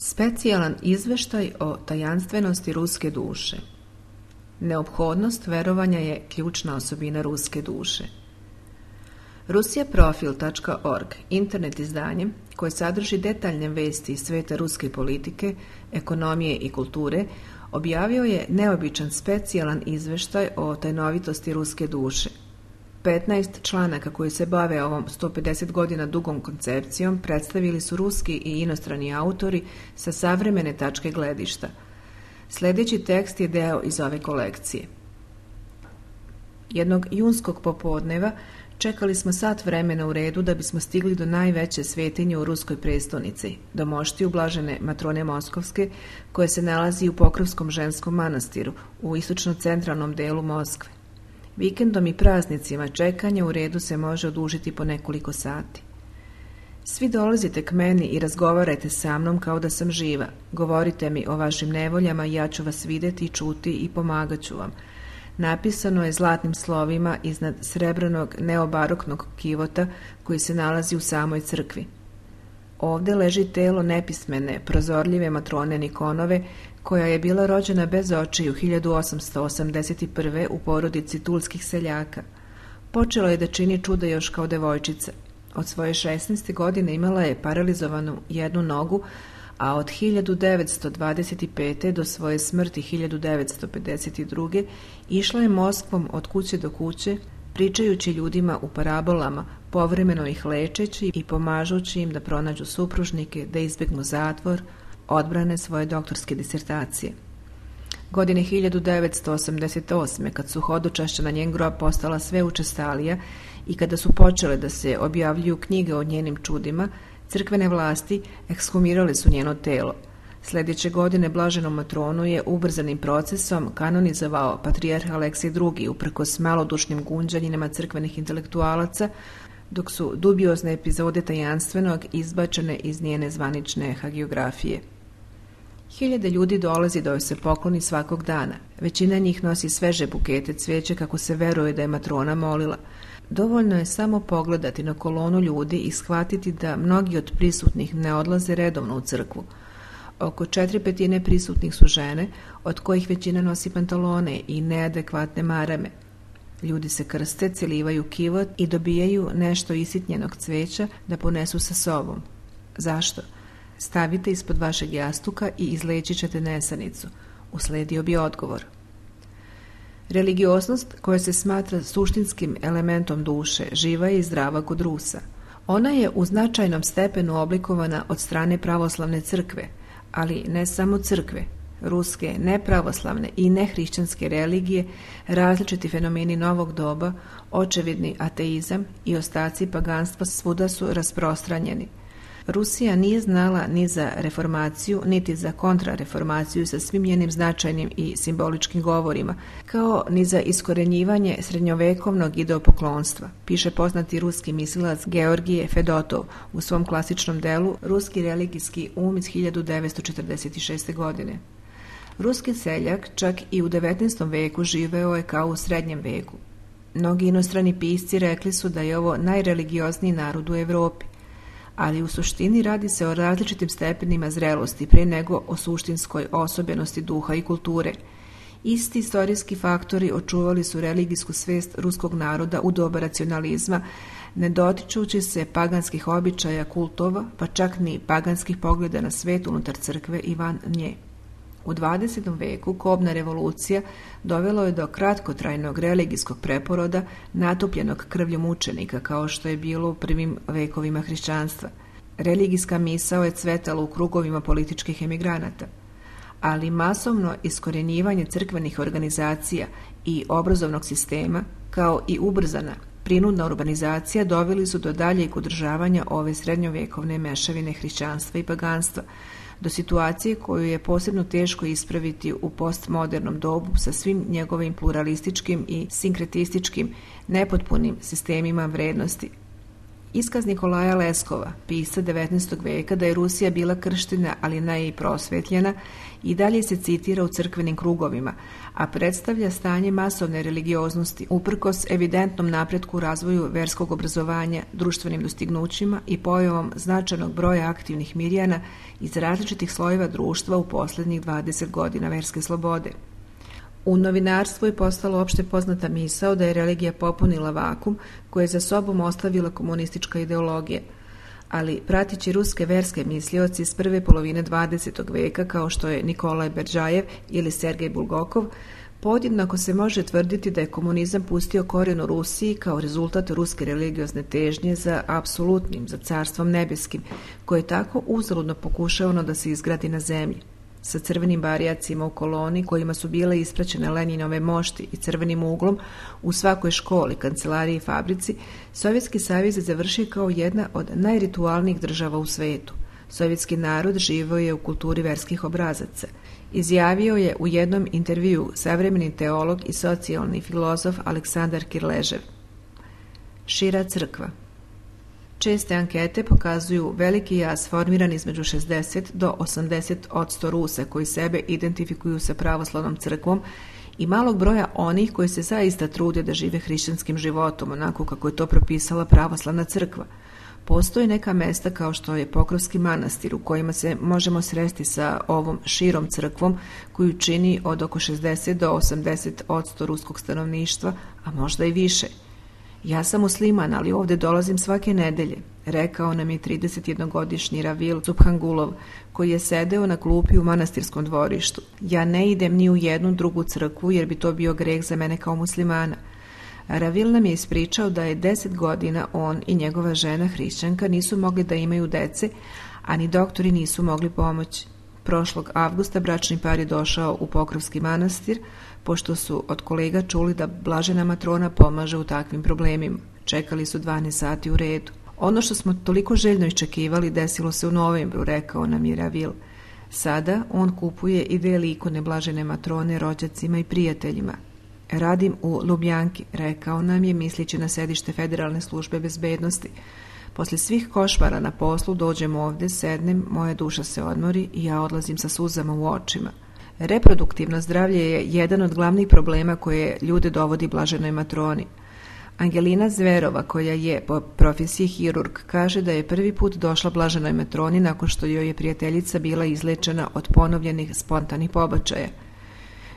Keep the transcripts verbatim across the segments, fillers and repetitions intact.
Specijalan izveštaj o tajanstvenosti ruske duše. Neophodnost verovanja je ključna osobina ruske duše. Rusijaprofil tačka org, internet izdanje koje sadrži detaljne vesti iz sveta ruske politike, ekonomije i kulture, objavio je neobičan specijalan izveštaj o tajnovitosti ruske duše. petnaest članaka koji se bave ovom sto pedeset godina dugom koncepcijom predstavili su ruski i inostrani autori sa savremene tačke gledišta. Sljedeći tekst je deo iz ove kolekcije. Jednog junskog popodneva čekali smo sat vremena u redu da bismo stigli do najveće svetinje u ruskoj prestonici, do moštiju blažene matrone Moskovske, koje se nalazi u Pokrovskom ženskom manastiru u istočno-centralnom delu Moskve. Vikendom i praznicima čekanje u redu se može odužiti po nekoliko sati. Svi dolazite k meni i razgovarajte sa mnom kao da sam živa. Govorite mi o vašim nevoljama i ja ću vas vidjeti, čuti i pomagat ću vam. Napisano je zlatnim slovima iznad srebrnog neobaroknog kivota koji se nalazi u samoj crkvi. Ovdje leži telo nepismene, prozorljive matrone Nikonove, koja je bila rođena bez očiju hiljadu osamsto osamdeset prve. u porodici tulskih seljaka. Počelo je da čini čuda još kao devojčica. Od svoje šesnaeste godine imala je paralizovanu jednu nogu, a od hiljadu devetsto dvadeset pete. do svoje smrti hiljadu devetsto pedeset druge. išla je Moskvom od kuće do kuće, pričajući ljudima u parabolama, povremeno ih lečeći i pomažući im da pronađu supružnike, da izbjegnu zatvor, odbrane svoje doktorske disertacije. Godine hiljadu devetsto osamdeset osme. kad su hodočašća na njen grob postala sve učestalija i kada su počele da se objavljuju knjige o njenim čudima, crkvene vlasti ekshumirale su njeno telo. Sljedeće godine blaženom matronu je ubrzanim procesom kanonizovao patrijarh Aleksij drugi. uprkos malodušnim gunđanjima crkvenih intelektualaca, dok su dubiozne epizode tajanstvenog izbačene iz njene zvanične hagiografije. Hiljade ljudi dolazi da joj se pokloni svakog dana. Većina njih nosi sveže bukete cvijeća kako se veruje da je matrona molila. Dovoljno je samo pogledati na kolonu ljudi i shvatiti da mnogi od prisutnih ne odlaze redovno u crkvu. Oko četiri petine prisutnih su žene, od kojih većina nosi pantalone i neadekvatne marame. Ljudi se krste, celivaju kivot i dobijaju nešto isitnjenog cvijeća da ponesu sa sobom. Zašto? Stavite ispod vašeg jastuka i izlečit ćete nesanicu. Usledio bi odgovor. Religioznost, koja se smatra suštinskim elementom duše, živa je i zdrava kod Rusa. Ona je u značajnom stepenu oblikovana od strane pravoslavne crkve, ali ne samo crkve. Ruske, nepravoslavne i nehrišćanske religije, različiti fenomeni novog doba, očevidni ateizam i ostaci paganstva svuda su rasprostranjeni. Rusija nije znala ni za reformaciju, niti za kontrareformaciju sa svim njenim značajnim i simboličkim govorima, kao ni za iskorenjivanje srednjovekovnog ideopoklonstva, piše poznati ruski mislilac Georgije Fedotov u svom klasičnom delu Ruski religijski um iz hiljadu devetsto četrdeset šeste. godine. Ruski seljak čak i u devetnaestom veku živeo je kao u srednjem veku. Mnogi inostrani pisci rekli su da je ovo najreligiozniji narod u Europi, ali u suštini radi se o različitim stepenima zrelosti prije nego o suštinskoj osobenosti duha i kulture. Isti istorijski faktori očuvali su religijsku svest ruskog naroda u doba racionalizma, ne dotičući se paganskih običaja, kultova, pa čak ni paganskih pogleda na svet unutar crkve i van nje. U dvadesetom veku kobna revolucija dovelo je do kratkotrajnog religijskog preporoda natopljenog krvlju mučenika, kao što je bilo u prvim vekovima hrišćanstva. Religijska misao je cvetala u krugovima političkih emigranata, ali masovno iskorjenjivanje crkvenih organizacija i obrazovnog sistema, kao i ubrzana prinudna urbanizacija, doveli su do daljeg održavanja ove srednjovekovne mešavine hrišćanstva i paganstva, do situacije koju je posebno teško ispraviti u postmodernom dobu sa svim njegovim pluralističkim i sinkretističkim nepotpunim sistemima vrednosti. Iskaz Nikolaja Leskova, pisca devetnaestog veka, da je Rusija bila krštena, ali ne i prosvetljena, i dalje se citira u crkvenim krugovima, a predstavlja stanje masovne religioznosti uprkos evidentnom napretku u razvoju verskog obrazovanja, društvenim dostignućima i pojavom značajnog broja aktivnih mirjana iz različitih slojeva društva u posljednjih dvadeset godina verske slobode. U novinarstvu je postala opšte poznata misao da je religija popunila vakum koje je za sobom ostavila komunistička ideologija, ali pratići ruske verske mislioci iz prve polovine dvadesetog veka kao što je Nikolaj Berdžajev ili Sergej Bulgakov, podjednako se može tvrditi da je komunizam pustio korijen u Rusiji kao rezultat ruske religiozne težnje za apsolutnim, za carstvom nebeskim, koje je tako uzaludno pokušavano da se izgradi na zemlji. Sa crvenim barijacima u koloni kojima su bile ispraćene Leninove mošti i crvenim uglom u svakoj školi, kancelariji i fabrici, Sovjetski savez je završio kao jedna od najritualnijih država u svetu. Sovjetski narod živio je u kulturi verskih obrazaca. Izjavio je u jednom intervjuu savremeni teolog i socijalni filozof Aleksandar Kirležev. Šira crkva. Česte ankete pokazuju veliki jaz formiran između šezdeset do osamdeset posto Rusa koji sebe identifikuju sa pravoslavnom crkvom i malog broja onih koji se zaista trude da žive hrišćanskim životom, onako kako je to propisala pravoslavna crkva. Postoje neka mesta kao što je Pokrovski manastir u kojima se možemo sresti sa ovom širom crkvom koju čini od oko šezdeset do osamdeset posto ruskog stanovništva, a možda i više. Ja sam musliman, ali ovdje dolazim svake nedelje, rekao nam je tridesetjednogodišnji Ravil Subhangulov, koji je sedeo na klupi u manastirskom dvorištu. Ja ne idem ni u jednu drugu crkvu jer bi to bio greh za mene kao muslimana. Ravil nam je ispričao da je deset godina on i njegova žena hrišćanka nisu mogli da imaju dece, a ni doktori nisu mogli pomoći. Prošlog avgusta bračni par je došao u Pokrovski manastir, pošto su od kolega čuli da blažena matrona pomaže u takvim problemima. Čekali su dvanaest sati u redu. Ono što smo toliko željno iščekivali desilo se u novembru, rekao nam je Ravil. Sada on kupuje i deli ikone blažene matrone rođacima i prijateljima. Radim u Lubjanki, rekao nam je, mislići na sedište Federalne službe bezbednosti. Posle svih košmara na poslu dođem ovdje, sednem, moja duša se odmori i ja odlazim sa suzama u očima. Reproduktivno zdravlje je jedan od glavnih problema koje ljude dovodi blaženoj matroni. Angelina Zverova, koja je po profesiji hirurg, kaže da je prvi put došla blaženoj matroni nakon što joj je prijateljica bila izlečena od ponovljenih spontanih pobačaja.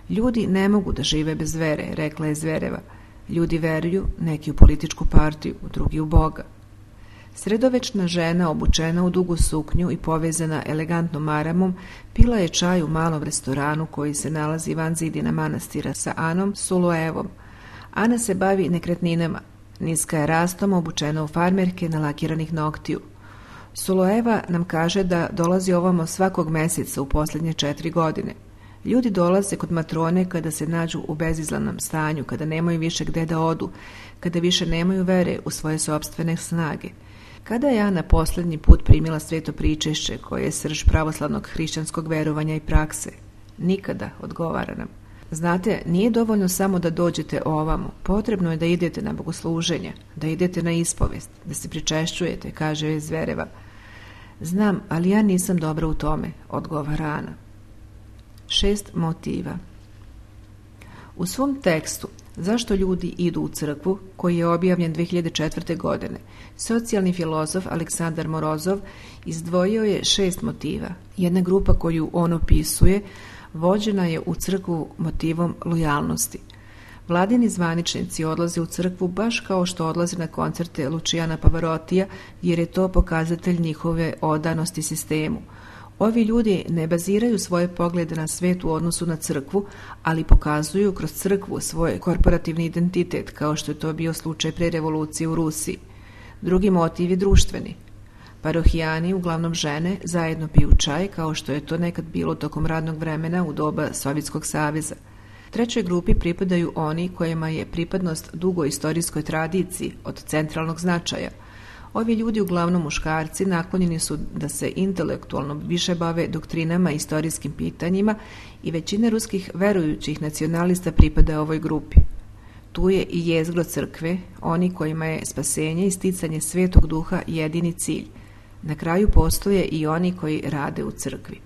Ljudi ne mogu da žive bez vere, rekla je Zvereva. Ljudi veruju, neki u političku partiju, drugi u Boga. Sredovečna žena, obučena u dugu suknju i povezana elegantnom maramom, pila je čaj u malom restoranu koji se nalazi van zidina manastira sa Anom Suluevom. Ana se bavi nekretninama. Niska je rastom, obučena u farmerke nalakiranih noktiju. Sulueva nam kaže da dolazi ovamo svakog meseca u posljednje četiri godine. Ljudi dolaze kod matrone kada se nađu u bezizlanom stanju, kada nemaju više gde da odu, kada više nemaju vere u svoje sopstvene snage. Kada je Ana posljednji put primila sveto pričešće koje je srž pravoslavnog hrišćanskog verovanja i prakse? Nikada, odgovara nam. Znate, nije dovoljno samo da dođete ovamo, potrebno je da idete na bogosluženje, da idete na ispovest, da se pričešćujete, kaže je Zvereva. Znam, ali ja nisam dobra u tome, odgovara Ana. Šest motiva. U svom tekstu Zašto ljudi idu u crkvu, koji je objavljen dve hiljade četvrte. godine, socijalni filozof Aleksandar Morozov izdvojio je šest motiva. Jedna grupa koju on opisuje vođena je u crkvu motivom lojalnosti. Vladini zvaničnici odlaze u crkvu baš kao što odlaze na koncerte Luciana Pavarotija, jer je to pokazatelj njihove odanosti sistemu. Ovi ljudi ne baziraju svoje poglede na svet u odnosu na crkvu, ali pokazuju kroz crkvu svoj korporativni identitet, kao što je to bio slučaj pre revolucije u Rusiji. Drugi motiv je društveni. Parohijani, uglavnom žene, zajedno piju čaj, kao što je to nekad bilo tokom radnog vremena u doba Sovjetskog saveza. Trećoj grupi pripadaju oni kojima je pripadnost dugoj istorijskoj tradiciji od centralnog značaja. Ovi ljudi, uglavnom muškarci, naklonjeni su da se intelektualno više bave doktrinama i istorijskim pitanjima i većina ruskih verujućih nacionalista pripada ovoj grupi. Tu je i jezgro crkve, oni kojima je spasenje i sticanje Svetog Duha jedini cilj. Na kraju postoje i oni koji rade u crkvi.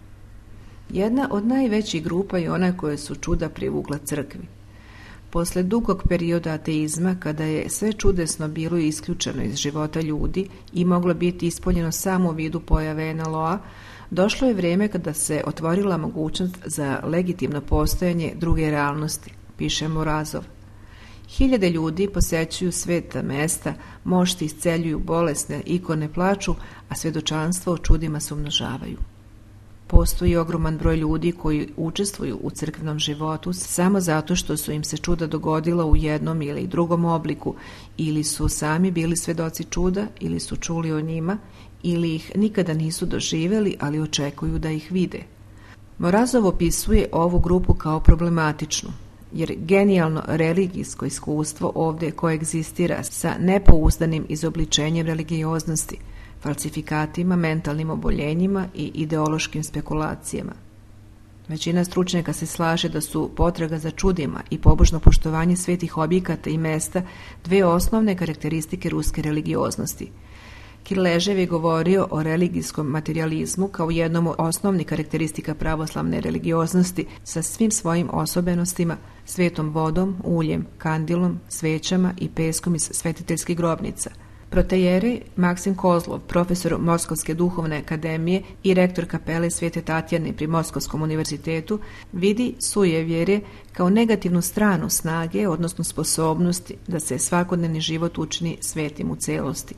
Jedna od najvećih grupa je ona koje su čuda privukla crkvi. Posle dugog perioda ateizma, kada je sve čudesno bilo isključeno iz života ljudi i moglo biti ispoljeno samo u vidu pojave en el o-a, došlo je vrijeme kada se otvorila mogućnost za legitimno postojanje druge realnosti, piše Morozov. Hiljade ljudi posećuju sveta mesta, mošti isceljuju bolesne, ikone plaču, a svjedočanstvo o čudima se umnožavaju. Postoji ogroman broj ljudi koji učestvuju u crkvenom životu samo zato što su im se čuda dogodila u jednom ili drugom obliku, ili su sami bili svedoci čuda, ili su čuli o njima, ili ih nikada nisu doživjeli, ali očekuju da ih vide. Morozov opisuje ovu grupu kao problematičnu, jer genijalno religijsko iskustvo ovdje koegzistira sa nepouzdanim izobličenjem religioznosti, falsifikatima, mentalnim oboljenjima i ideološkim spekulacijama. Većina stručnjaka se slaže da su potraga za čudima i pobožno poštovanje svetih objekata i mesta dve osnovne karakteristike ruske religioznosti. Kirležev je govorio o religijskom materializmu kao jednom od osnovnih karakteristika pravoslavne religioznosti sa svim svojim osobenostima, svetom vodom, uljem, kandilom, svećama i peskom iz svetiteljskih grobnica. Protejerej Maksim Kozlov, profesor Moskovske duhovne akademije i rektor kapele Svete Tatjane pri Moskovskom univerzitetu, vidi sujevjerje kao negativnu stranu snage, odnosno sposobnosti da se svakodnevni život učini svetim u celosti.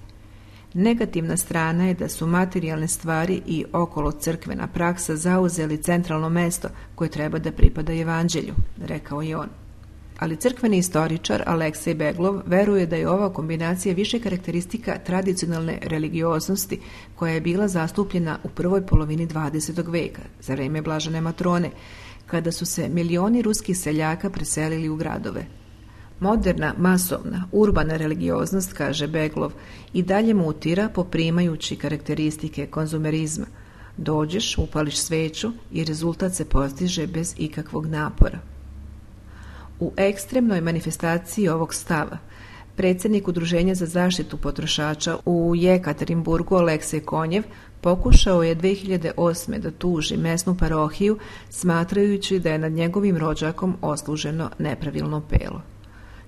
Negativna strana je da su materijalne stvari i okolo crkvena praksa zauzeli centralno mesto koje treba da pripada evanđelju, rekao je on. Ali crkveni istoričar Aleksej Beglov veruje da je ova kombinacija više karakteristika tradicionalne religioznosti koja je bila zastupljena u prvoj polovini dvadesetog veka, za vreme Blažene Matrone, kada su se milioni ruskih seljaka preselili u gradove. Moderna, masovna, urbana religioznost, kaže Beglov, i dalje mutira poprimajući karakteristike konzumerizma. Dođeš, upališ sveću i rezultat se postiže bez ikakvog napora. U ekstremnoj manifestaciji ovog stava, predsjednik Udruženja za zaštitu potrošača u Jekaterinburgu Aleksej Konjev pokušao je dve hiljade osme da tuži mesnu parohiju, smatrajući da je nad njegovim rođakom osluženo nepravilno pero.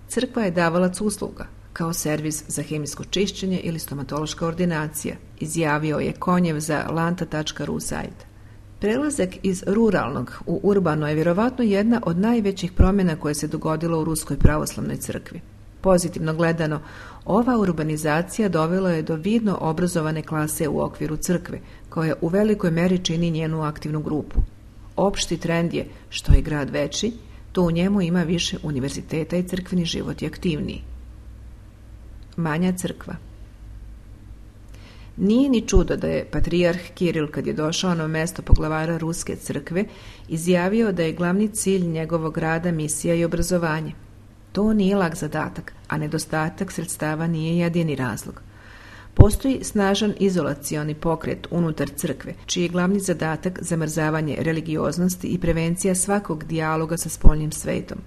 Crkva je davalac usluga, kao servis za hemijsko čišćenje ili stomatološka ordinacija, izjavio je Konjev za lanta tačka ru sajt. Prelazak iz ruralnog u urbano je vjerovatno jedna od najvećih promjena koje se dogodilo u Ruskoj pravoslavnoj crkvi. Pozitivno gledano, ova urbanizacija dovela je do vidno obrazovane klase u okviru crkve, koja u velikoj meri čini njenu aktivnu grupu. Opšti trend je, što je grad veći, to u njemu ima više univerziteta i crkveni život je aktivniji. Manja crkva. Nije ni čudo da je patrijarh Kiril, kad je došao na mesto poglavara Ruske crkve, izjavio da je glavni cilj njegovog rada misija i obrazovanje. To nije lak zadatak, a nedostatak sredstava nije jedini razlog. Postoji snažan izolacioni pokret unutar crkve, čiji je glavni zadatak zamrzavanje religioznosti i prevencija svakog dijaloga sa spoljnim svetom.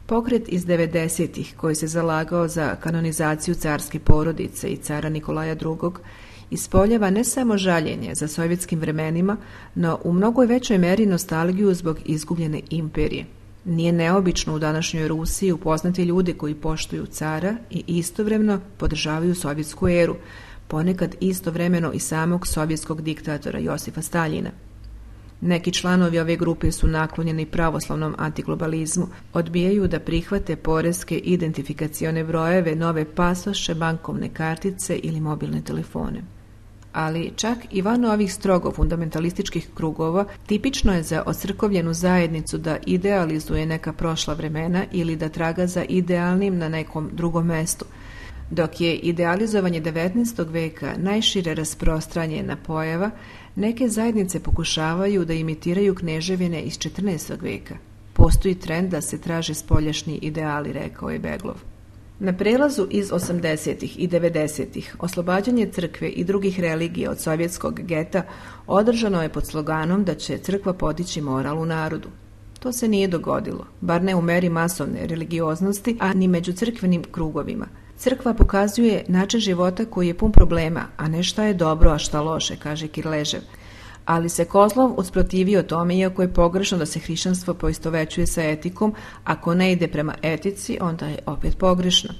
Pokret iz devedesetih, koji se zalagao za kanonizaciju carske porodice i cara Nikolaja drugog, ispoljava ne samo žaljenje za sovjetskim vremenima, no u mnogo većoj meri nostalgiju zbog izgubljene imperije. Nije neobično u današnjoj Rusiji upoznati ljude koji poštuju cara i istovremeno podržavaju sovjetsku eru, ponekad istovremeno i samog sovjetskog diktatora Josifa Staljina. Neki članovi ove grupe su naklonjeni pravoslavnom antiglobalizmu, odbijaju da prihvate poreske identifikacione brojeve, nove pasoše, bankovne kartice ili mobilne telefone. Ali čak i van ovih strogo fundamentalističkih krugova tipično je za ocrkovljenu zajednicu da idealizuje neka prošla vremena ili da traga za idealnim na nekom drugom mestu, dok je idealizovanje devetnaestog veka najšire rasprostranjena pojava. Neke zajednice pokušavaju da imitiraju kneževine iz četrnaestog veka. Postoji trend da se traže spoljašnji ideali, rekao je Beglov. Na prelazu iz osamdesetih i devedesetih oslobađanje crkve i drugih religija od sovjetskog geta održano je pod sloganom da će crkva podići moral u narodu. To se nije dogodilo, bar ne u meri masovne religioznosti, a ni među crkvenim krugovima. Crkva pokazuje način života koji je pun problema, a ne šta je dobro, a šta loše, kaže Kirležev. Ali se Kozlov usprotivio tome, iako je pogrešno da se hrišćanstvo poistovećuje sa etikom. Ako ne ide prema etici, onda je opet pogrešno.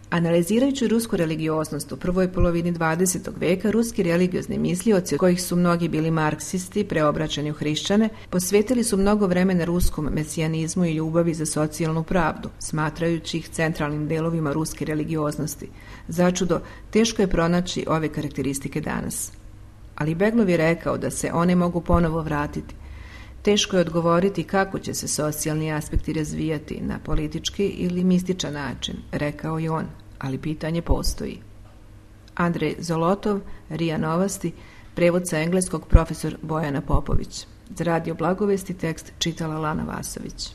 Analizirajući rusku religioznost u prvoj polovini dvadesetog veka, ruski religiozni mislioci, od kojih su mnogi bili marksisti, preobraćeni u hrišćane, posvetili su mnogo vremena ruskom mesijanizmu i ljubavi za socijalnu pravdu, smatrajući ih centralnim delovima ruske religioznosti. Začudo, teško je pronaći ove karakteristike danas. Ali Beglov je rekao da se one mogu ponovo vratiti. Teško je odgovoriti kako će se socijalni aspekti razvijati, na politički ili mističan način, rekao je on, ali pitanje postoji. Andrej Zolotov, RIA Novosti, prevod sa engleskog profesor Bojana Popović. Za Radio Blagovesti tekst čitala Lana Vasović.